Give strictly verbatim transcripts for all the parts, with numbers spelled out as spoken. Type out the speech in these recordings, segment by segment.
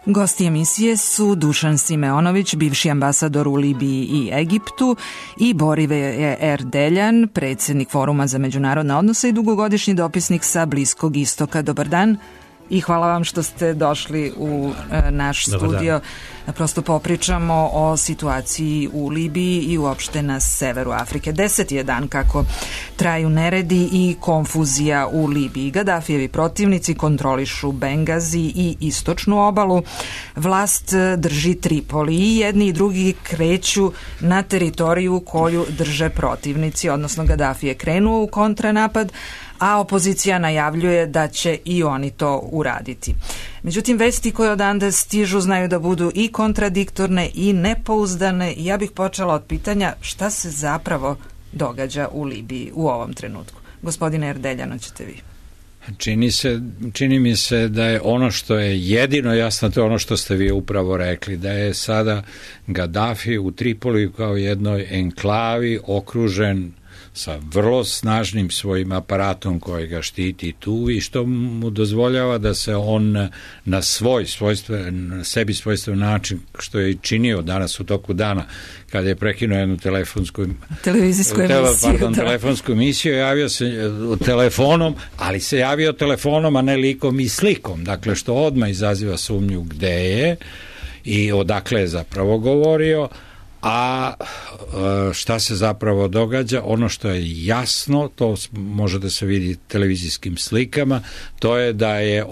Gosti emisije su Dušan Simeonović, bivši ambasador u Libiji i Egiptu, i Borive Erdeljan, predsjednik Foruma za međunarodne odnose i dugogodišnji dopisnik sa Bliskog istoka. Dobar dan i hvala vam što ste došli u naš Dobar studio. Dan. Prosto popričamo o situaciji u Libiji i uopšte na severu Afrike. Deset je dan kako traju neredi i konfuzija u Libiji. Gadafijevi protivnici kontrolišu Bengazi i istočnu obalu. Vlast drži Tripoli i jedni i drugi kreću na teritoriju koju drže protivnici, odnosno Gaddafi je krenuo u kontranapad, a opozicija najavljuje da će i oni to uraditi. Međutim, vesti koje odande stižu znaju da budu i kontradiktorne i nepouzdane. Ja bih počela od pitanja šta se zapravo događa u Libiji u ovom trenutku. Gospodine Erdeljano, ćete vi. Čini se, čini mi se da je ono što je jedino jasno, to je ono što ste vi upravo rekli, da je sada Gaddafi u Tripoliju kao jednoj enklavi okružen sa vrlo snažnim svojim aparatom koji ga štiti tu i što mu dozvoljava da se on na svoj svojstven, na sebi svojstven način, što je i činio danas u toku dana, kada je prekinuo jednu telefonsku televizijsku emisiju, tele, pardon, da. telefonsku emisiju, javio se telefonom, ali se javio telefonom, a ne likom i slikom, dakle što odmah izaziva sumnju gde je i odakle je zapravo govorio. A šta se zapravo događa? Ono što je jasno, to može da se vidi televizijskim slikama, to je da je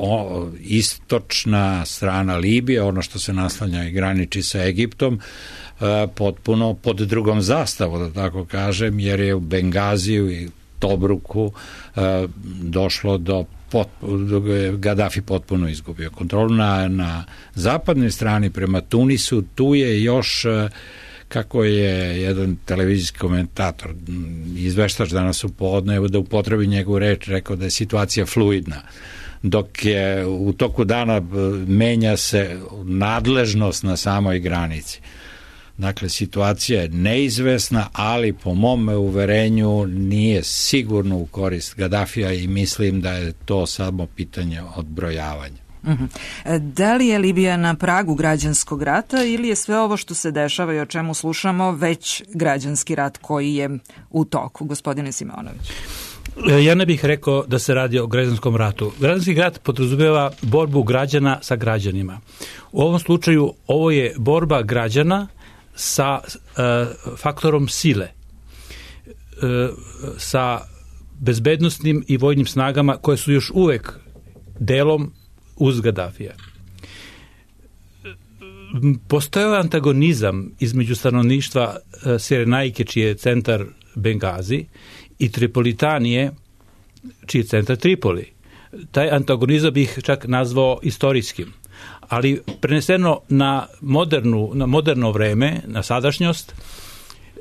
istočna strana Libije, ono što se naslanja i graniči sa Egiptom, potpuno pod drugom zastavom, da tako kažem, jer je u Bengaziju i Tobruku došlo do Gaddafi potpuno izgubio kontrolu. Na, na zapadnoj strani prema Tunisu, tu je još, kako je jedan televizijski komentator, izveštač danas u podne, da upotrebi njegovu reč, rekao da je situacija fluidna. Dok je u toku dana menja se nadležnost na samoj granici. Dakle, situacija je neizvesna, ali po mom uverenju nije sigurno u korist Gaddafija i mislim da je to samo pitanje odbrojavanja. Uh-huh. Da li je Libija na pragu građanskog rata ili je sve ovo što se dešava i o čemu slušamo već građanski rat koji je u toku? Gospodine Simeonović. Ja ne bih rekao da se radi o građanskom ratu. Građanski rat podrazumijeva borbu građana sa građanima. U ovom slučaju ovo je borba građana sa uh, faktorom sile, uh, sa bezbednostnim i vojnim snagama koje su još uvek delom uz Gaddafija. Postojao antagonizam između stanovništva uh, Sirenajke, čiji je centar Bengazi, i Tripolitanije, čiji je centar Tripoli. Taj antagonizam bih čak nazvao istorijskim. Ali preneseno na modernu, na moderno vreme, na sadašnjost,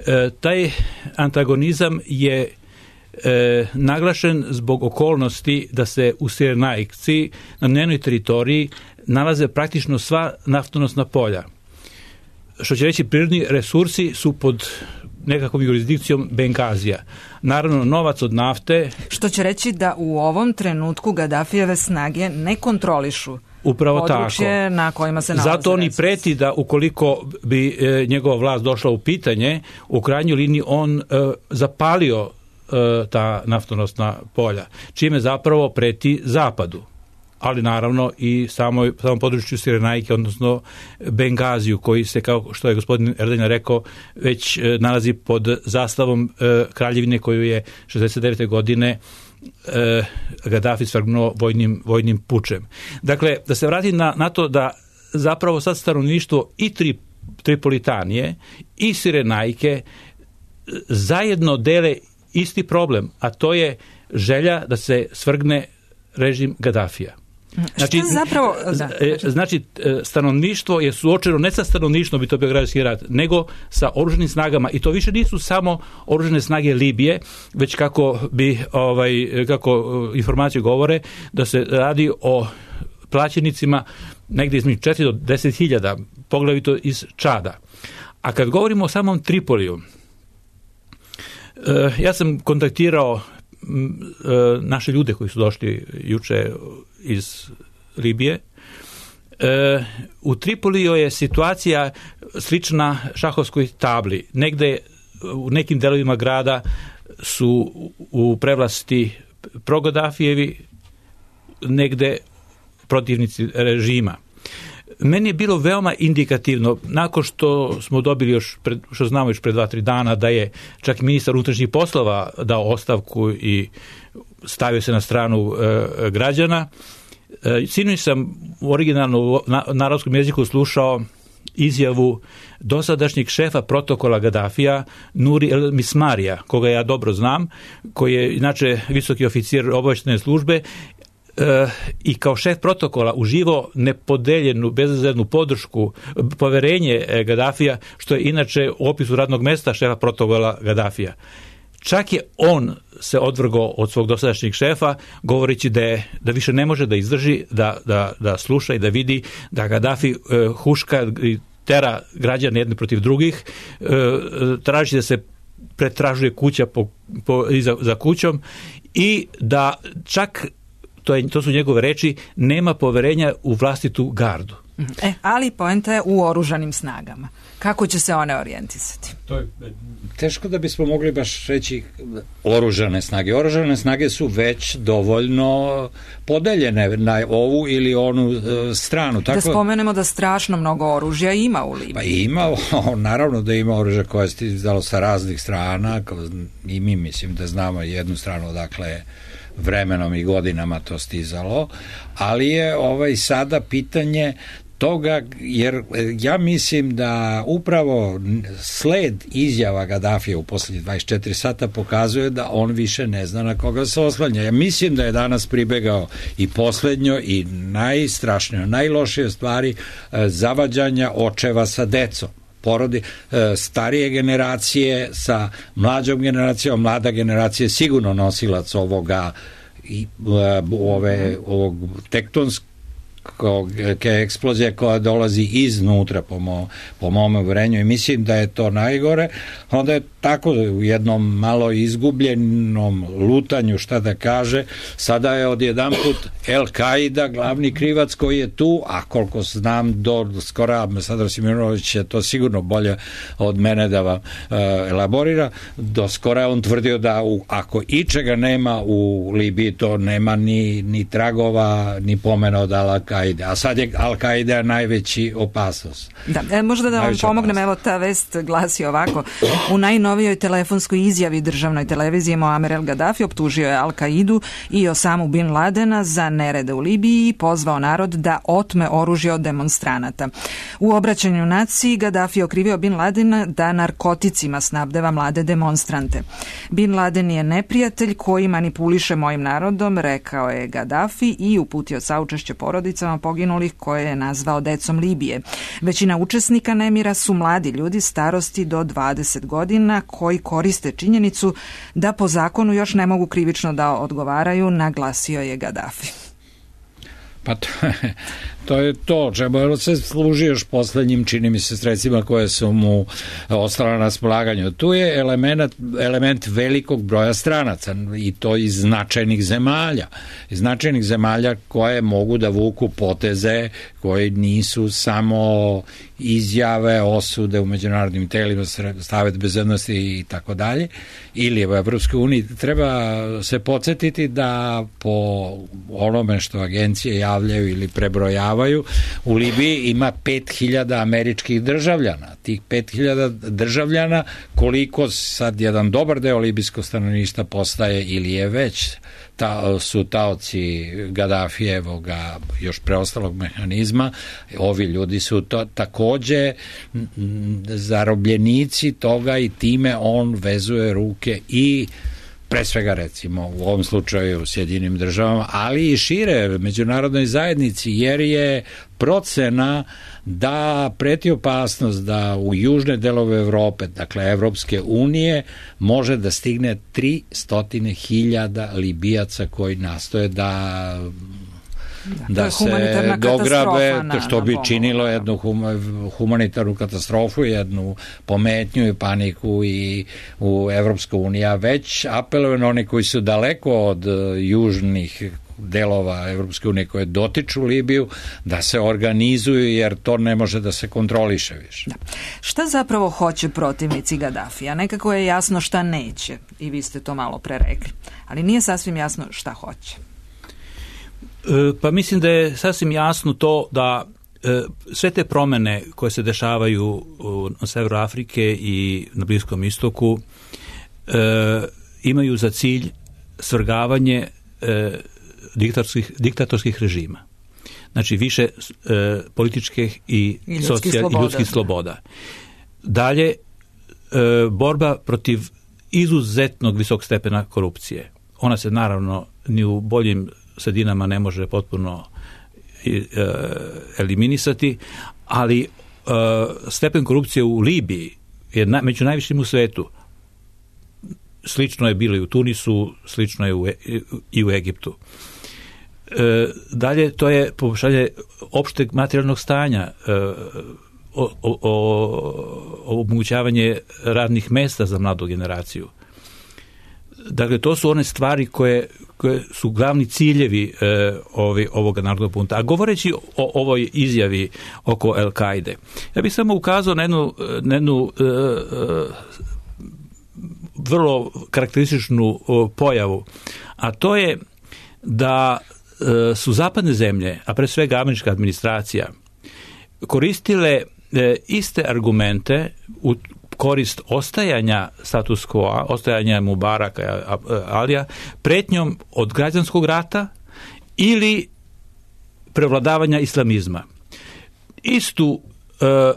e, taj antagonizam je e, naglašen zbog okolnosti da se u Sirenajci na njenoj teritoriji nalaze praktično sva naftonosna polja. Što će reći, prirodni resursi su pod nekakvom jurisdikcijom Bengazija. Naravno, novac od nafte... Što će reći da u ovom trenutku Gaddafijeve snage ne kontrolišu upravo područje tako. Na kojima se nalaze. Zato oni preti da ukoliko bi e, njegova vlast došla u pitanje, u krajnjoj liniji on e, zapalio e, ta naftonosna polja, čime zapravo preti zapadu, ali naravno i samoj, samom području Sirenajke, odnosno Bengaziju, koji se, kao što je gospodin Erdeljan rekao, već e, nalazi pod zastavom e, kraljevine koju je šezdeset devete godine E, Gaddafi svrgnuo vojnim, vojnim pučem. Dakle, da se vrati na, na to da zapravo sad stanovništvo i tri, Tripolitanije i Sirenajke zajedno dele isti problem, a to je želja da se svrgne režim Gaddafija. Znači, zapravo, da, znači, stanovništvo je suočeno ne sa stanovništvom, bi to bio građanski rat, nego sa oružanim snagama, i to više nisu samo oružane snage Libije, već kako bi ovaj kako informacije govore da se radi o plaćenicima negdje između četiri do deset hiljada, poglavito iz Čada. A kad govorimo o samom Tripoliju, ja sam kontaktirao naše ljude koji su došli juče iz Libije E, u Tripoliju je situacija slična šahovskoj tabli. Negde u nekim delovima grada su u prevlasti pro-Gadafijevi, negde protivnici režima. Meni je bilo veoma indikativno, nakon što smo dobili još, pred, što znamo još pred dva, tri dana, da je čak i ministar unutrašnjih poslova dao ostavku i stavio se na stranu e, građana. E, sinoć sam originalno na narodskom jeziku slušao izjavu dosadašnjeg šefa protokola Gadafija, Nuri El Mismarija, koga ja dobro znam, koji je inače visoki oficir obavještajne službe, E, i kao šef protokola uživo nepodeljenu, bezrezervnu podršku, poverenje Gadafija, što je inače u opisu radnog mesta šefa protokola Gadafija. Čak je on se odvrgao od svog dosadašnjeg šefa, govoreći da, je, da više ne može da izdrži, da, da, da sluša i da vidi da Gadafi e, huška i tera građane jedne protiv drugih, e, traži da se pretražuje kuća po, po, za, za kućom i da čak To, je, to su njegove reči, nema poverenja u vlastitu gardu. E, ali poenta je u oružanim snagama. Kako će se one orijentisati? To je teško da bismo mogli baš reći oružane snage. Oružane snage su već dovoljno podeljene na ovu ili onu e, stranu. Tako, da spomenemo da strašno mnogo oružja ima u Libiji. Pa ima, naravno da ima oružja koje je stizalo sa raznih strana, i mi mislim da znamo jednu stranu odakle vremenom i godinama to stizalo, ali je ovaj sada pitanje toga, jer ja mislim da upravo sled izjava Gadafija u posljednjih dvadeset četiri sata pokazuje da on više ne zna na koga se oslanja. Ja mislim da je danas pribegao i posljednjo i najstrašnije, najlošije stvari zavađanja očeva sa decom. Porodi starije generacije sa mlađom generacijom, mlada generacija je sigurno nosilac ovoga i ove ovog tektonskog eksplozije koja dolazi iznutra po, mo, po mom uverenju i mislim da je to najgore. Onda je tako u jednom malo izgubljenom lutanju, šta da kaže, sada je odjedanput El-Kaida glavni krivac koji je tu, a koliko znam do skora, Ambasador Simonović je to sigurno bolje od mene da vam uh, elaborira, do skora on tvrdio da u, ako ičega nema u Libiji, to nema ni, ni tragova, ni pomena od Al-Kaide, a sad je Al-Kaida najveći opasnost. Da, e, možda da vam pomognem, evo ta vest glasi ovako. U najnovijoj telefonskoj izjavi državnoj televiziji Muamer el-Gaddafi optužio je Al-Kaidu i Osamu bin Ladena za nerede u Libiji i pozvao narod da otme oružje od demonstranata. U obraćanju naciji Gaddafi okrivio bin Ladena da narkoticima snabdeva mlade demonstrante. Bin Laden je neprijatelj koji manipuliše mojim narodom, rekao je Gaddafi i uputio saučešće porodicama poginulih koje je nazvao decom Libije. Većina učesnika nemira su mladi ljudi starosti do dvadeset godina koji koriste činjenicu da po zakonu još ne mogu krivično da odgovaraju, naglasio je Gaddafi. Pa to je, to je to, čemu se služi još poslednjim, čini mi se, sredstvima koje su mu ostala na raspolaganju. Tu je element, element velikog broja stranaca i to iz značajnih zemalja. Iz značajnih zemalja koje mogu da vuku poteze koji nisu samo izjave, osude u međunarodnim telima, Savet bezbednosti i tako dalje, ili u Evropskoj uniji. Treba se podsjetiti da po onome što agencije javljaju ili prebrojavaju, u Libiji ima pet hiljada američkih državljana. Tih pet hiljada državljana, koliko sad jedan dobar deo libijskog stanovništva postaje ili je već ta, su taoci Gaddafijevoga još preostalog mehanizma, ovi ljudi su to takođe zarobljenici toga i time on vezuje ruke i pre svega recimo u ovom slučaju u Sjedinim državama, ali i šire međunarodnoj zajednici, jer je procena da preti opasnost da u južne delove Evrope, dakle Evropske unije, može da stigne tristo hiljada Libijaca koji nastoje da da, da se dograbe, što bi činilo jednu humanitarnu katastrofu, jednu pometnju i paniku i u Evropska unija već apeluje na oni koji su daleko od južnih delova Evropske unije koje dotiču Libiju, da se organizuju, jer to ne može da se kontroliše više. Da. Šta zapravo hoće protivnici Gadafija? Nekako je jasno šta neće, i vi ste to malo pre rekli, ali nije sasvim jasno šta hoće. E, pa mislim da je sasvim jasno to da e, sve te promene koje se dešavaju u, na severu Afrike i na Bliskom istoku e, imaju za cilj svrgavanje e, diktatorskih, diktatorskih režima. Znači više e, političkih i, I socijal, i ljudskih sloboda. Dalje, e, borba protiv izuzetnog visokog stepena korupcije. Ona se naravno ni u boljim sredinama ne može potpuno e, eliminisati, ali e, stepen korupcije u Libiji je na, među najvišim u svetu. Slično je bilo i u Tunisu, slično je u, i u Egiptu. E, dalje, to je poboljšanje opšteg materijalnog stanja, e, o, o, o, omogućavanje radnih mesta za mladu generaciju. Dakle, to su one stvari koje, koje su glavni ciljevi e, ovi, ovoga narodnog bunta. A govoreći o ovoj izjavi oko Al-Kaide, ja bih samo ukazao na jednu, na jednu e, e, vrlo karakterističnu pojavu, a to je da e, su zapadne zemlje, a pre svega američka administracija, koristile e, iste argumente u korist ostajanja status quo, ostajanja Mubaraka, Alija, pretnjom od građanskog rata ili prevladavanja islamizma. Istu e, e,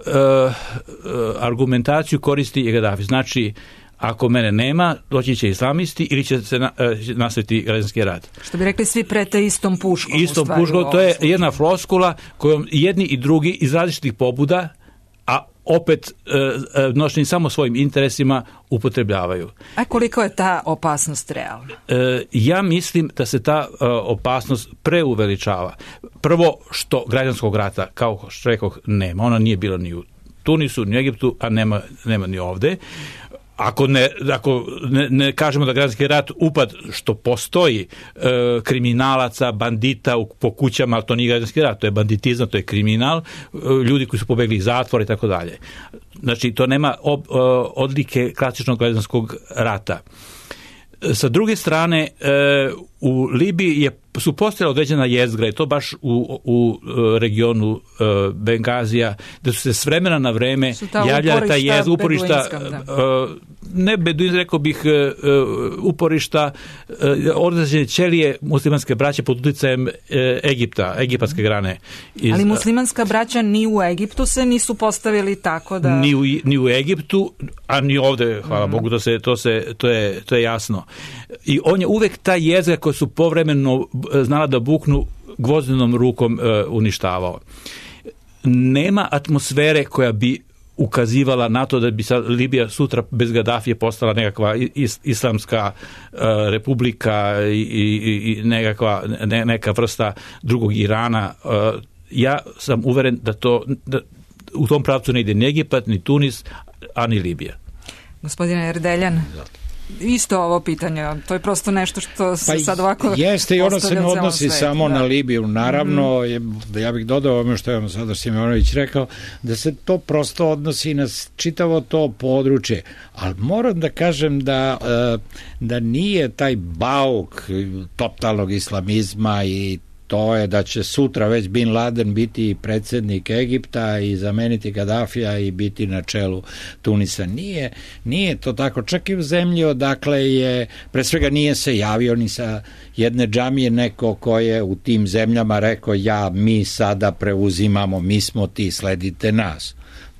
argumentaciju koristi i Gadafi. Znači, ako mene nema, doći će islamisti ili će se na, nastaviti građanski rat. Što bi rekli, svi prete istom puškom. Istom puškom, to je jedna floskula kojom jedni i drugi iz različitih pobuda, a opet e, nošeni samo svojim interesima, upotrebljavaju. A koliko je ta opasnost realna? E, ja mislim da se ta e, opasnost preuveličava. Prvo, što građanskog rata, kao što rekoh, nema. Ona nije bila ni u Tunisu, ni u Egiptu, a nema, nema ni ovde. Ako, ne, ako ne, ne kažemo da građanski rat upad što postoji e, kriminalaca, bandita u, po kućama, to nije građanski rat, to je banditizam, to je kriminal, e, ljudi koji su pobegli iz zatvora i tako dalje. Znači, to nema ob, e, odlike klasičnog građanskog rata. E, sa druge strane, e, u Libiji je, su postojala određena jezgra, i to baš u, u regionu e, Bengazija, da su se s vremena na vreme javljala ta jezgra, uporišta, e, ne beduinska, rekao bih, e, uporišta e, određene ćelije muslimanske braće pod uticajem e, Egipta, egipatske grane. Iz, ali muslimanska braća ni u Egiptu se nisu postavili tako da... Ni u, ni u Egiptu, a ni ovde, hvala mm. Bogu, to, se, to, se, to, je, to je jasno. I on je uvek ta jezgra koja su povremeno znala da buknu, gvozdenom rukom e, uništavao. Nema atmosfere koja bi ukazivala na to da bi sad Libija sutra bez Gadafije postala nekakva is, islamska e, republika i, i, i nekakva, ne, neka vrsta drugog Irana. E, ja sam uveren da to da u tom pravcu ne ide ni Egipat, ni Tunis, a ni Libija. Gospodine Erdeljan, isto ovo pitanje, to je prosto nešto što se pa sad ovako jeste i ono se ne odnosi samo da. na Libiju, naravno, mm-hmm. ja bih dodao ono što je on sada Simonović rekao, da se to prosto odnosi na čitavo to područje, ali moram da kažem da, da nije taj bauk totalnog islamizma i to je da će sutra već Bin Laden biti predsjednik Egipta i zameniti Gadafija i biti na čelu Tunisa. Nije, nije to tako. Čak i u zemlji odakle je, pre svega nije se javio ni sa jedne džamije neko ko je u tim zemljama rekao ja, mi sada preuzimamo, mi smo ti, sledite nas.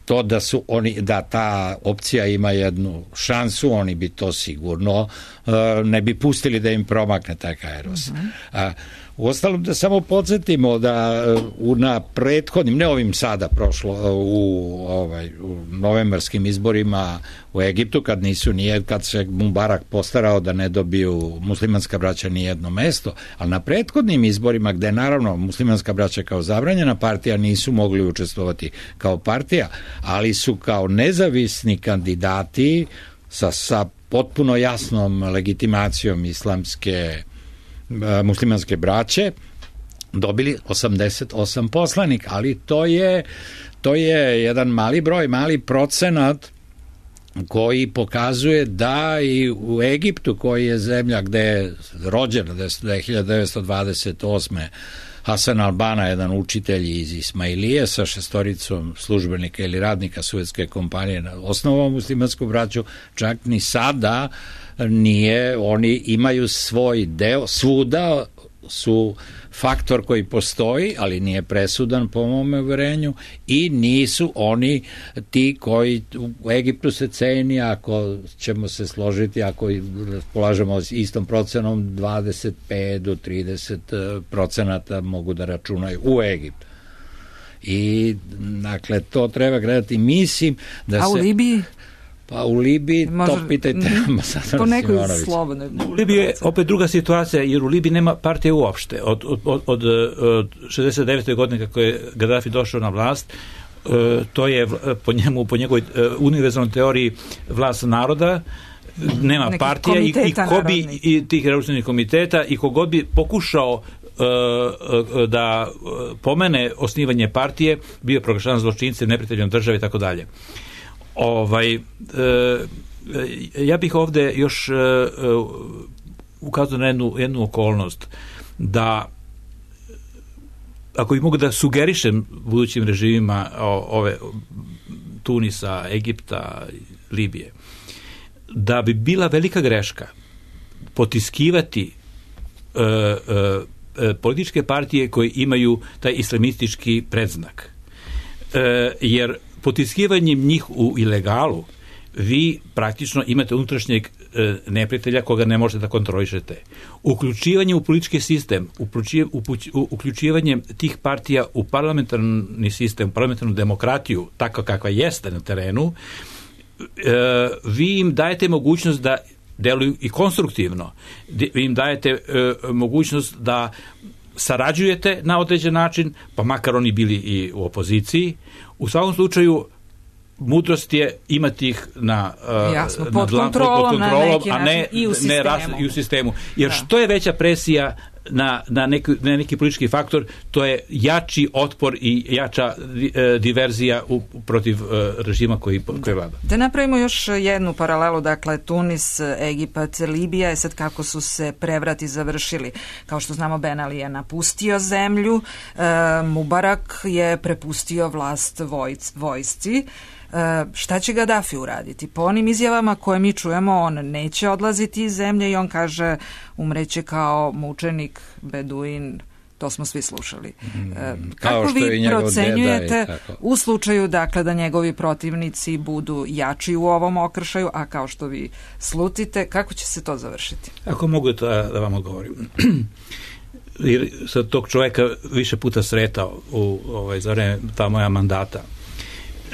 To da su oni, da ta opcija ima jednu šansu, oni bi to sigurno uh, ne bi pustili da im promakne taj Kairos. Uh-huh. A uostalom da samo podsjetimo da u, na prethodnim, ne ovim sada prošlo, u, ovaj, u novembarskim izborima u Egiptu, kad nisu nije, kad se Mubarak postarao da ne dobiju muslimanska braća ni jedno mesto, ali na prethodnim izborima, gde naravno muslimanska braća kao zabranjena partija nisu mogli učestvovati kao partija, ali su kao nezavisni kandidati sa, sa potpuno jasnom legitimacijom islamske muslimanske braće dobili osamdeset osam poslanika, ali to je to je jedan mali broj, mali procenat koji pokazuje da i u Egiptu, koji je zemlja gde je rođen hiljadu devetsto dvadeset osme Hasan al-Banna, jedan učitelj iz Ismailije sa šestoricom službenika ili radnika Suetske kompanije, osnovao muslimansku braću, čak ni sada nije, oni imaju svoj deo, svuda su faktor koji postoji, ali nije presudan po mom uverenju, i nisu oni ti koji u Egiptu se ceni, ako ćemo se složiti, ako polažemo istom procenom, dvadeset pet do trideset procenata mogu da računaju u Egiptu. I dakle, to treba gledati. Mislim da A u se... Libiji? Pa u Libiji, Možda, to pitajte po nekoj slobodnoj. U Libiji je opet druga situacija, jer u Libiji nema partije uopšte. Od, od, od, od šezdeset devete godine kako je Gaddafi došao na vlast, to je po njemu, po njegovoj univerzalnoj teoriji vlast naroda, nema nekih partija i, i ko bi i tih revolucionarnih komiteta, i kogod bi pokušao da pomene osnivanje partije, bio proglašavan zločincem, neprijateljom države i tako dalje. Ovaj, e, ja bih ovde još e, ukazao na jednu, jednu okolnost, da ako bi mogu da sugerišem budućim režimima o, ove Tunisa, Egipta, Libije, da bi bila velika greška potiskivati e, e, političke partije koje imaju taj islamistički predznak. E, jer potiskivanjem njih u ilegalu vi praktično imate unutrašnjeg e, neprijatelja koga ne možete da kontrolišete. Uključivanje u politički sistem, uključivanje tih partija u parlamentarni sistem, parlamentarnu demokratiju, tako kakva jeste na terenu, e, vi im dajete mogućnost da deluju i konstruktivno. Vi im dajete e, mogućnost da sarađujete na određen način, pa makar oni bili i u opoziciji. U svakom slučaju, mudrost je imati ih na, Jasno, na pod, dlan, kontrolom, pod kontrolom, na neki a ne, način i u sistemu. Ne ras, i u sistemu. Jer da. Što je veća presija na, na, neki, na neki politički faktor, to je jači otpor i jača e, diverzija u, protiv e, režima koji, koji vlada. Da napravimo još jednu paralelu, dakle Tunis, Egipat, Libija, je sad kako su se prevrati završili. Kao što znamo, Ben Ali je napustio zemlju, e, Mubarak je prepustio vlast vojc, vojsci. E, šta će Gaddafi uraditi? Po onim izjavama koje mi čujemo, on neće odlaziti iz zemlje i on kaže umreće kao mučenik, beduin, to smo svi slušali. E, kako vi procenjujete u slučaju dakle da njegovi protivnici budu jači u ovom okršaju, a kao što vi slutite, kako će se to završiti? Ako mogu da, da vam odgovorim. Jer sam tog čovjeka više puta sretao u ovaj, za vreme ta moja mandata.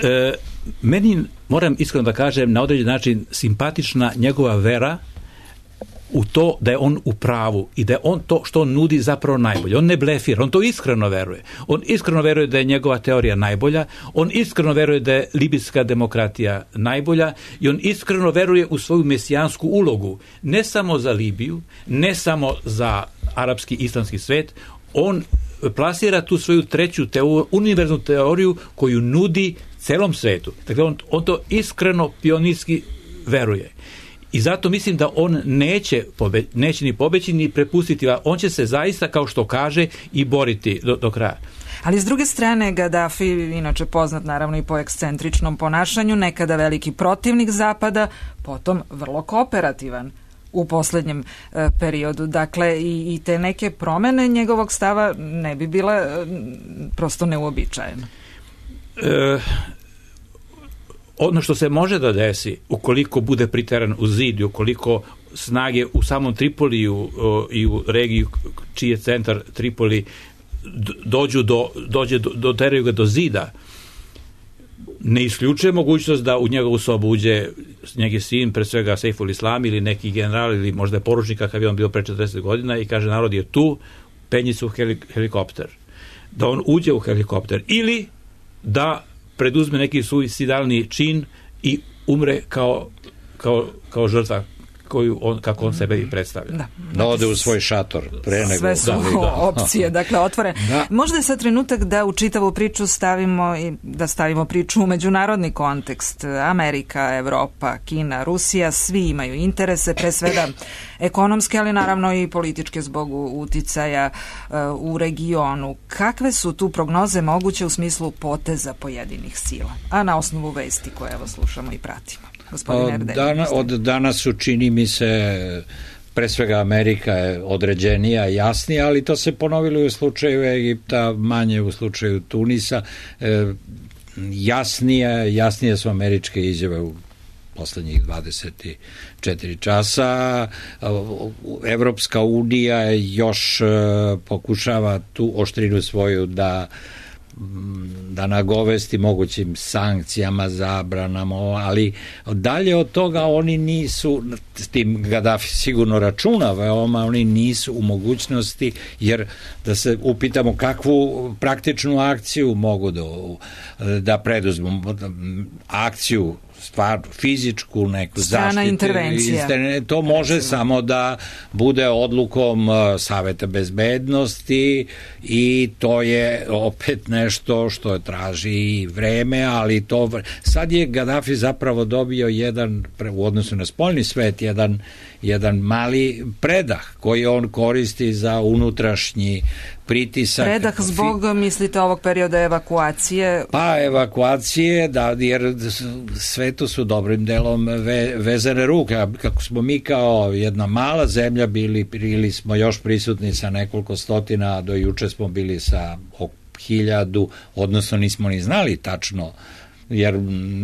E, meni, moram iskreno da kažem, na određen način simpatična njegova vera u to da je on u pravu i da je on to što on nudi zapravo najbolje. On ne blefira, on to iskreno veruje. On iskreno veruje da je njegova teorija najbolja, on iskreno veruje da je libijska demokratija najbolja i on iskreno veruje u svoju mesijansku ulogu. Ne samo za Libiju, ne samo za arapski islamski svet, on plasira tu svoju treću teoriju, univerzalnu teoriju koju nudi celom svetu. Dakle, on, on to iskreno pionirski veruje. I zato mislim da on neće, pobe, neće ni pobeći ni prepustiti, on će se zaista, kao što kaže, i boriti do, do kraja. Ali s druge strane, Gaddafi, inače poznat naravno i po ekscentričnom ponašanju, nekada veliki protivnik Zapada, potom vrlo kooperativan u posljednjem e, periodu. Dakle, i, i te neke promene njegovog stava ne bi bile e, prosto neuobičajene. E, ono što se može da desi, ukoliko bude priteran u zid i ukoliko snage u samom Tripoliju o, i u regiji čiji je centar Tripoli dođu do, dođe do, doteraju ga do zida, ne isključuje mogućnost da u njegovu sobu uđe njegov sin, pre svega Seiful Islam ili neki general ili možda je poručnik kakav je on bio pre četrdeset godina i kaže narod je tu, penji se u helikopter. Da on uđe u helikopter ili da preduzme neki suicidalni čin i umre kao, kao, kao žrtva koju on, kako on sebe i predstavlja. Da, da ode u svoj šator. Pre nego, sve su da, da. opcije, dakle, otvore. Da. Možda je sad trenutak da u čitavu priču stavimo i da stavimo priču u međunarodni kontekst. Amerika, Evropa, Kina, Rusija, svi imaju interese, pre svega ekonomske, ali naravno i političke zbog uticaja uh, u regionu. Kakve su tu prognoze moguće u smislu poteza pojedinih sila? A na osnovu vesti koje evo slušamo i pratimo. Gospodine Erdelj. Dana, od danas su, čini mi se, pre svega Amerika je određenija, jasnija, ali to se ponovilo i u slučaju Egipta, manje u slučaju Tunisa. E, jasnije, jasnije su američke izjave u poslednjih dvadeset četiri časa. Evropska unija još pokušava tu oštrinu svoju da da nagovesti mogućim sankcijama, zabranama, ali dalje od toga oni nisu, s tim Gadafi sigurno računa veoma, oni nisu u mogućnosti, jer da se upitamo kakvu praktičnu akciju mogu da, da preduzmu, akciju stvar, fizičku neku strana intervencija. To može samo da bude odlukom Saveta bezbednosti i to je opet nešto što traži vreme, ali to sad je Gadafi zapravo dobio jedan, u odnosu na spoljni svet, jedan, jedan mali predah koji on koristi za unutrašnji pritisak. Predah zbog, mislite, ovog perioda evakuacije? Pa evakuacije, da, jer svetu su dobrim delom ve, vezane ruke. Kako smo mi kao jedna mala zemlja bili, bili smo još prisutni sa nekoliko stotina, do juče smo bili sa oko hiljadu, odnosno nismo ni znali tačno, jer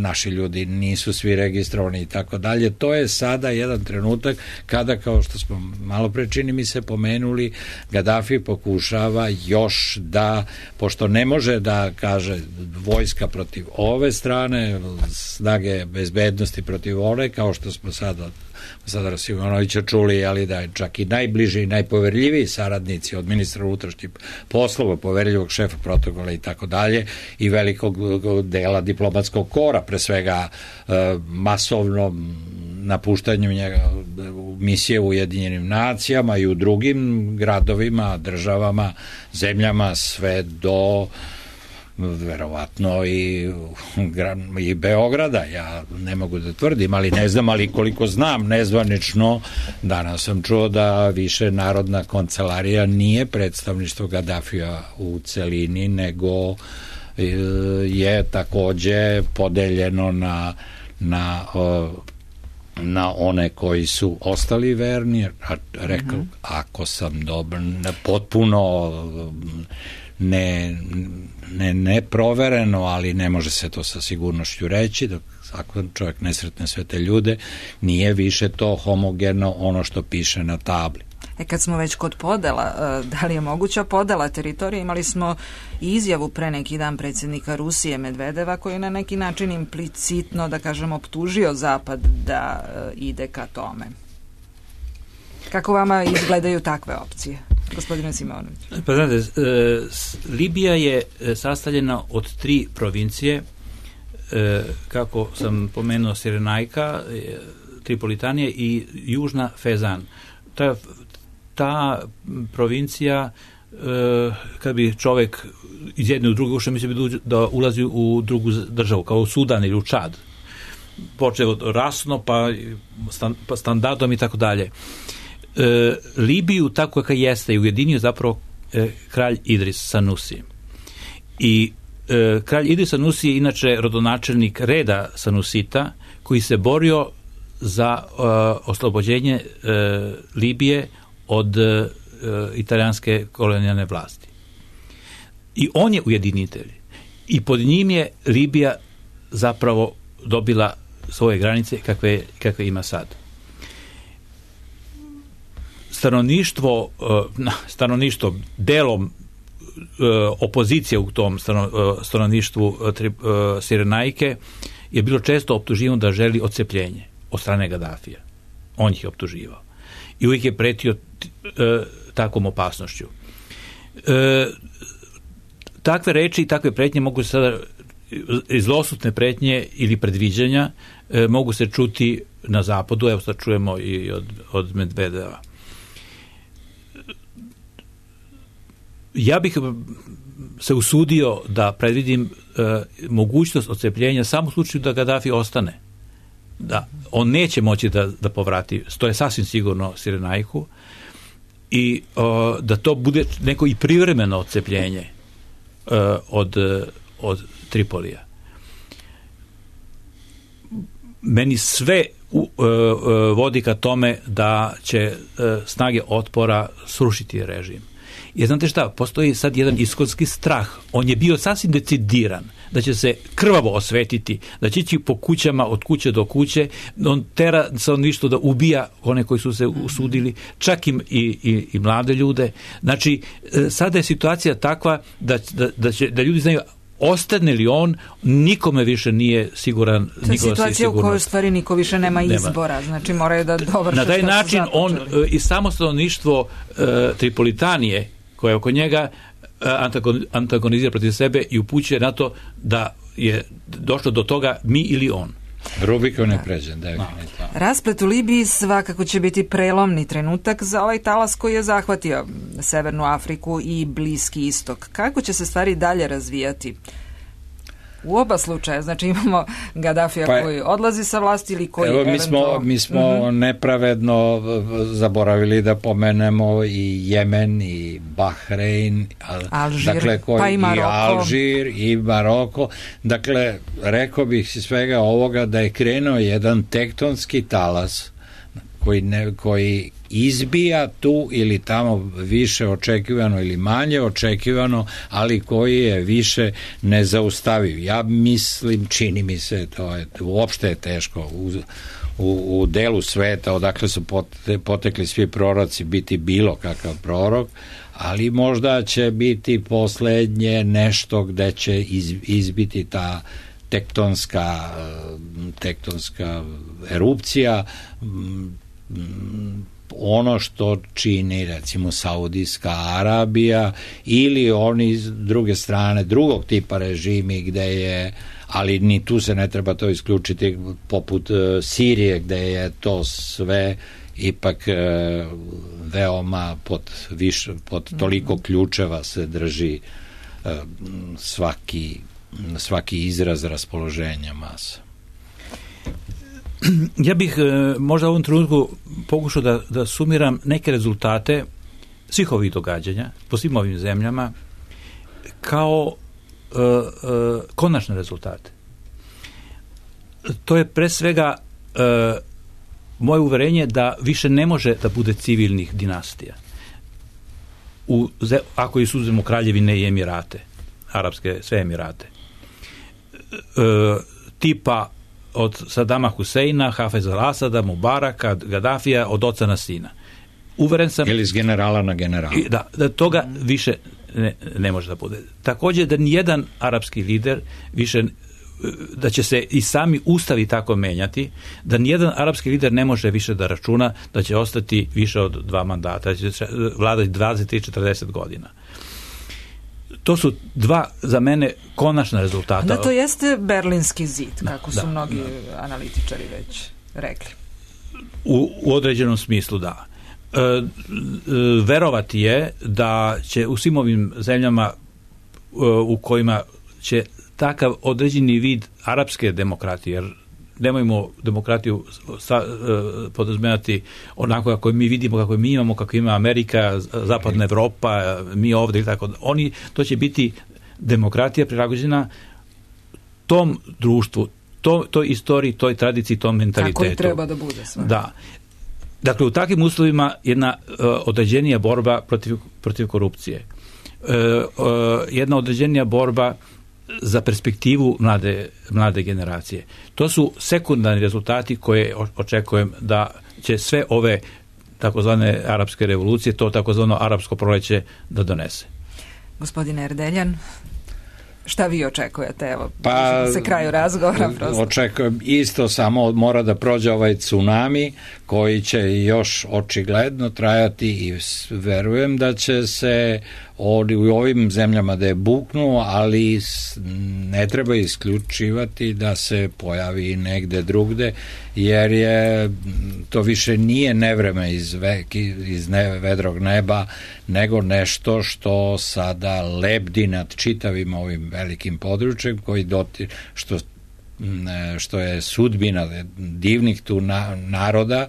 naši ljudi nisu svi registrovani i tako dalje. To je sada jedan trenutak kada, kao što smo malo pre čini mi se pomenuli, Gadafi pokušava još da, pošto ne može da kaže vojska protiv ove strane, snage bezbednosti protiv one, kao što smo sada sada Simonovića čuli, ali da je čak i najbliži i najpoverljiviji saradnici od ministra unutrašnjih poslova, poverljivog šefa protokola i tako dalje, i velikog dela diplomatskog kora, pre svega masovnom napuštanju njega misije u Ujedinjenim nacijama i u drugim gradovima, državama, zemljama, sve do verovatno i, i Beograda. Ja ne mogu da tvrdim, ali ne znam, ali koliko znam nezvanično, danas sam čuo da više Narodna kancelarija nije predstavništvo Gadafija u celini, nego je takođe podeljeno na na na one koji su ostali verni, rekao, mm-hmm. ako sam dobar, potpuno ne, ne, ne provereno, ali ne može se to sa sigurnošću reći, dok ako čovjek ne sretne sve te ljude, nije više to homogeno ono što piše na tabli. E kad smo već kod podela, da li je moguća podela teritorije? Imali smo izjavu pre neki dan predsjednika Rusije Medvedeva, koji je na neki način implicitno, da kažem, optužio Zapad da ide ka tome. Kako vama izgledaju takve opcije, gospodine Simonović? Pa znate, Libija je sastavljena od tri provincije, kako sam pomenuo, Sirenajka, Tripolitanije i Južna Fezan. Ta, ta provincija, kad bi čovek iz jedne u druge ušao, mislim bi da ulazi u drugu državu, kao u Sudan ili u Čad. Počeo od rasno, pa, stand, pa standardom i tako dalje. E, Libiju, tako kako jeste, je ujedinio zapravo e, kralj Idris Sanusi. I e, kralj Idris Sanusi je inače rodonačelnik reda Sanusita, koji se borio za e, oslobođenje e, Libije od e, italijanske kolonijalne vlasti. I on je ujedinitelj. I pod njim je Libija zapravo dobila svoje granice kakve, kakve ima sad. Stanovništvo, stanovništvo delom opozicije u tom stanovništvu Sirenajke je bilo često optuživano da želi odcepljenje od strane Gadafija. On ih je optuživao. I uvijek je pretio takvom opasnošću. Takve reči i takve pretnje mogu se sada i zlosutne pretnje ili predviđanja e, mogu se čuti na zapadu, evo sad čujemo i od, od Medvedeva. Ja bih se usudio da predvidim e, mogućnost odcepljenja samo u slučaju da Gadafi ostane. Da, on neće moći da, da povrati, to je sasvim sigurno Sirenajku, i o, da to bude neko i privremeno odcepljenje e, od, od Tripolija. Meni sve u, e, vodi ka tome da će e, snage otpora srušiti režim. Jer znate šta, postoji sad jedan iskonski strah. On je bio sasvim decidiran da će se krvavo osvetiti, da će ići po kućama od kuće do kuće, on tera stanovništvo da ubija one koji su se usudili, čak i, i, i mlade ljude. Znači, sada je situacija takva da, da, da, će, da ljudi znaju, ostane li on, nikome više nije siguran. To je situacija u kojoj u stvari niko više nema, nema. izbora, znači moraju da dovrše. Na taj način on i samo stanovništvo uh, Tripolitanije koje oko njega antagonizira protiv sebe i upućuje na to da je došlo do toga mi ili on. Rubikon je pređen, definitivno. Rasplet u Libiji svakako će biti prelomni trenutak za ovaj talas koji je zahvatio Severnu Afriku i Bliski istok. Kako će se stvari dalje razvijati? U oba slučaja, znači imamo Gadafija pa, koji odlazi sa vlasti ili koji evo, mi smo, eventual... mi smo uh-huh. nepravedno zaboravili da pomenemo i Jemen i Bahrein, Alžir, dakle, koji, pa i Maroko. I Alžir i Maroko. Dakle, rekao bih iz svega ovoga da je krenuo jedan tektonski talas koji, ne, koji izbija tu ili tamo više očekivano ili manje očekivano, ali koji je više nezaustaviv. Ja mislim, čini mi se, to je, uopšte je teško u, u, u delu sveta odakle su potekli svi proroci biti bilo kakav prorok, ali možda će biti poslednje nešto gde će iz, izbiti ta tektonska tektonska erupcija, ono što čini recimo Saudijska Arabija ili oni s druge strane drugog tipa režimi gde je, ali ni tu se ne treba to isključiti, poput Sirije gde je to sve ipak veoma pod, više, pod toliko ključeva se drži svaki, svaki izraz raspoloženja masa. Ja bih možda u ovom trenutku pokušao da, da sumiram neke rezultate svih ovih događanja po svim ovim zemljama kao uh, uh, konačne rezultate. To je pre svega uh, moje uverenje da više ne može da bude civilnih dinastija. U, ako izuzmemo Kraljevine i Emirate, arapske sve Emirate. Uh, tipa od Sadama Huseina, Hafeza al-Asada, Mubaraka, Gaddafija, od oca na sina. Uveren sam... Ili iz generala na generala. Da, da toga više ne, ne može da bude. Također da nijedan arapski lider više, da će se i sami ustavi tako menjati, da nijedan arapski lider ne može više da računa da će ostati više od dva mandata, da će vladati dvadeset i četrdeset godina. To su dva, za mene, konačna rezultata. Da, to jeste Berlinski zid, kako da, su mnogi da. analitičari već rekli. U, u određenom smislu, da. E, e, verovati je da će u svim ovim zemljama e, u kojima će takav određeni vid arapske demokratije, jer nemojmo demokratiju sa, e, podrazumevati onako kako mi vidimo, kako mi imamo, kako ima Amerika, zapadna Evropa, mi ovdje i tako. Oni, to će biti demokratija prilagođena tom društvu, to, toj istoriji, toj tradiciji, tom mentalitetu. Tako i treba da bude sve. Da. Dakle, u takvim uslovima jedna uh, određenija borba protiv, protiv korupcije. Uh, uh, jedna određenija borba za perspektivu mlade, mlade generacije. To su sekundarni rezultati koje očekujem da će sve ove takozvane arapske revolucije, to takozvano arapsko proleće da donese. Gospodine Erdeljan? Šta vi očekujete? Evo, pa, se kraju razgovora. Prosto. Očekujem isto, samo mora da prođe ovaj tsunami koji će još očigledno trajati i verujem da će se u ovim zemljama da je buknu, ali ne treba isključivati da se pojavi negde drugde, jer je to više nije nevreme iz, ve, iz ne, vedrog neba, nego nešto što sada lebdi nad čitavim ovim velikim područjem koji doti, što, što je sudbina divnih tu na, naroda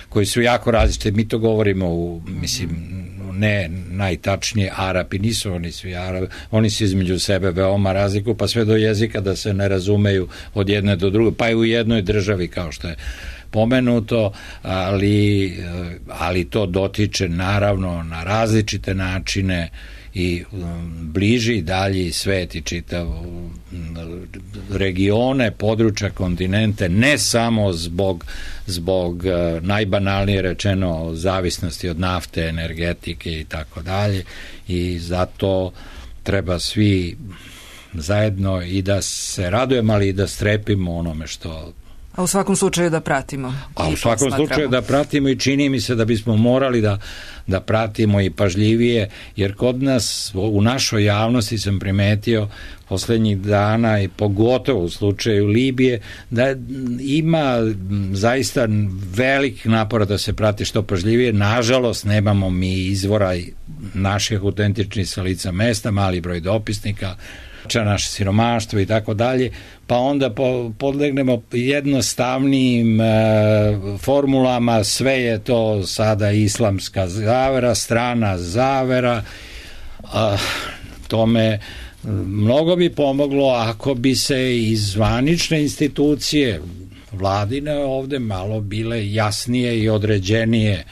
koji su jako različite. Mi to govorimo u, mislim, ne najtačnije, Arapi, nisu oni svi Arapi, oni se između sebe veoma razlikuju, pa sve do jezika da se ne razumeju od jedne do druge, pa i u jednoj državi kao što je pomenuto, ali, ali to dotiče naravno na različite načine i bliži dalji svet i čitav regione, područja, kontinente, ne samo zbog, zbog najbanalnije rečeno zavisnosti od nafte, energetike i tako dalje, i zato treba svi zajedno i da se radujemo, ali i da strepimo onome što... A u svakom slučaju da pratimo. A u svakom slučaju da pratimo i čini mi se da bismo morali da, da pratimo i pažljivije, jer kod nas, u našoj javnosti sam primetio poslednjih dana i pogotovo u slučaju Libije, da ima zaista velik napor da se prati što pažljivije. Nažalost, nemamo mi izvora naših autentičnih sa lica mesta, mali broj dopisnika, naše siromaštvo i tako dalje, pa onda po, podlegnemo jednostavnim e, formulama, sve je to sada islamska zavera, strana zavera, a, tome mnogo bi pomoglo ako bi se iz zvanične institucije vladine ovde malo bile jasnije i određenije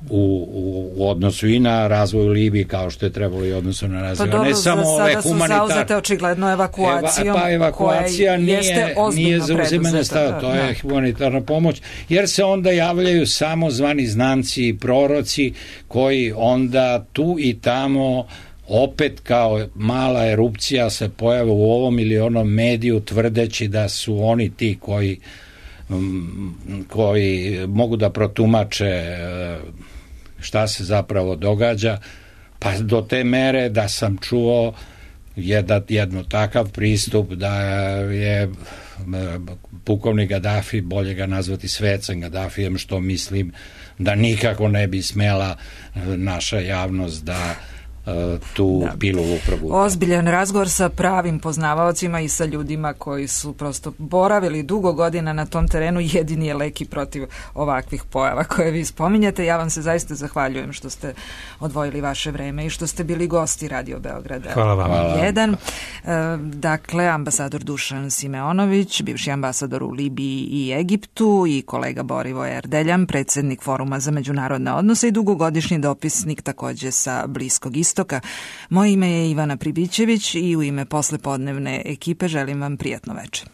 U, u, u odnosu i na razvoj Libije, kao što je trebalo i odnosu na razvoj, pa dobro, ne samo ove humanitarne. Pa sada su zauzete očigledno evakuacijom, Eva, pa evakuacija nije, nije zauzimanje stava, to je da. humanitarna pomoć, jer se onda javljaju samo zvani znanci i proroci koji onda tu i tamo opet kao mala erupcija se pojave u ovom ili onom mediju tvrdeći da su oni ti koji koji mogu da protumače šta se zapravo događa, pa do te mere da sam čuo jedan, jedno takav pristup da je pukovnik Gaddafi, bolje ga nazvati svecem Gaddafijem, što mislim da nikako ne bi smela naša javnost da tu da. Pilu upravu. Ozbiljan razgovor sa pravim poznavaocima i sa ljudima koji su prosto boravili dugo godina na tom terenu, jedini je lek i protiv ovakvih pojava koje vi spominjete. Ja vam se zaista zahvaljujem što ste odvojili vaše vreme i što ste bili gosti Radio Beograda. Hvala vam. jedan. Dakle, ambasador Dušan Simeonović, bivši ambasador u Libiji i Egiptu, i kolega Borivoje Erdeljan, predsednik Foruma za međunarodne odnose i dugogodišnji dopisnik takođe sa Bliskog istoka. Moje ime je Ivana Pribićević i u ime poslepodnevne ekipe želim vam prijatno večer.